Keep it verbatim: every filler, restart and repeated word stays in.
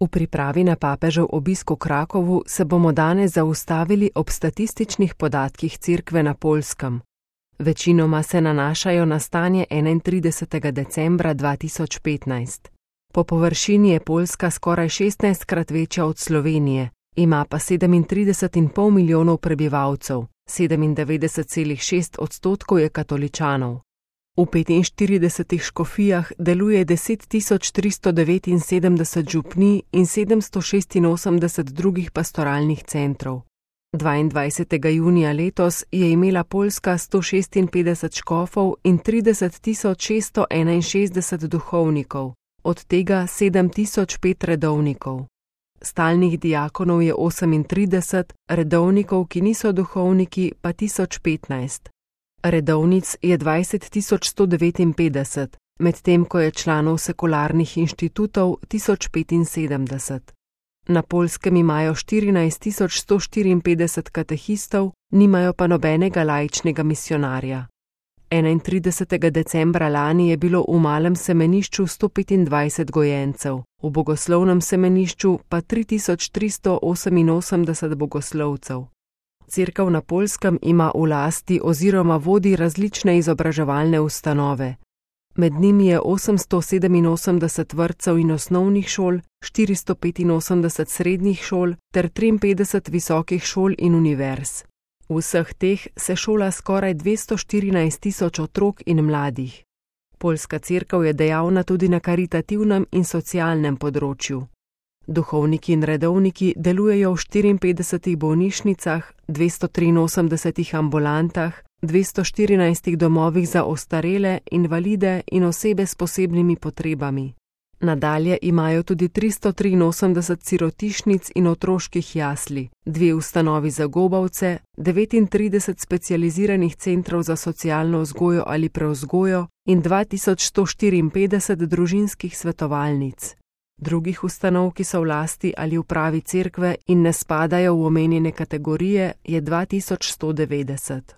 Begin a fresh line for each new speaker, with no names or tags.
V pripravi na papežev obisk v Krakovu se bomo danes zaustavili ob statističnih podatkih Cerkve na Poljskem. Večinoma se nanašajo na stanje enaintridesetega decembra dva tisoč petnajst. Po površini je Poljska skoraj šestnajstkrat večja od Slovenije, ima pa sedemintrideset celih pet milijonov prebivalcev, sedemindevetdeset celih šest odstotkov je katoličanov. V petinštiridesetih škofijah deluje deset tisoč tristo devetinsedemdeset župnij in sedemsto šestinosemdeset drugih pastoralnih centrov. dvaindvajsetega junija letos je imela Poljska sto šestinpetdeset škofov in trideset tisoč šeststo enainšestdeset duhovnikov, od tega sedem tisoč pet redovnikov. Stalnih diakonov je osemintrideset, redovnikov, ki niso duhovniki, pa tisoč petnajst. Redovnic je dvajset tisoč sto devetinpetdeset, medtem ko je članov sekularnih inštitutov tisoč petinsedemdeset. Na Poljskem imajo štirinajst tisoč sto štiriinpetdeset katehistov, nimajo pa nobenega laičnega misijonarja. enaintridesetega decembra lani je bilo v malem semenišču sto petindvajset gojencev, v bogoslovnem semenišču pa tri tisoč tristo oseminosemdeset bogoslovcev. Cerkev na Poljskem ima v lasti oziroma vodi različne izobraževalne ustanove. Med njimi je osemsto sedeminosemdeset vrtcev in osnovnih šol, štiristo petinosemdeset srednjih šol ter triinpetdeset visokih šol in univerz. V vseh teh se šola skoraj dvesto štirinajst tisoč otrok in mladih. Poljska cerkev je dejavna tudi na karitativnem in socialnem področju. Duhovniki in redovniki delujejo v štiriinpetdesetih bolnišnicah, dvesto triinosemdesetih ambulantah, dvesto štirinajstih domovih za ostarele, invalide in osebe s posebnimi potrebami. Nadalje imajo tudi tristo triinosemdeset sirotišnic in otroških jasli, dve ustanovi za gobavce, devetintrideset specializiranih centrov za socialno vzgojo ali prevzgojo in dva tisoč sto štiriinpetdeset družinskih svetovalnic. Drugih ustanov, ki so v lasti ali upravi cerkve in ne spadajo v omenjene kategorije, je dva tisoč sto devetdeset.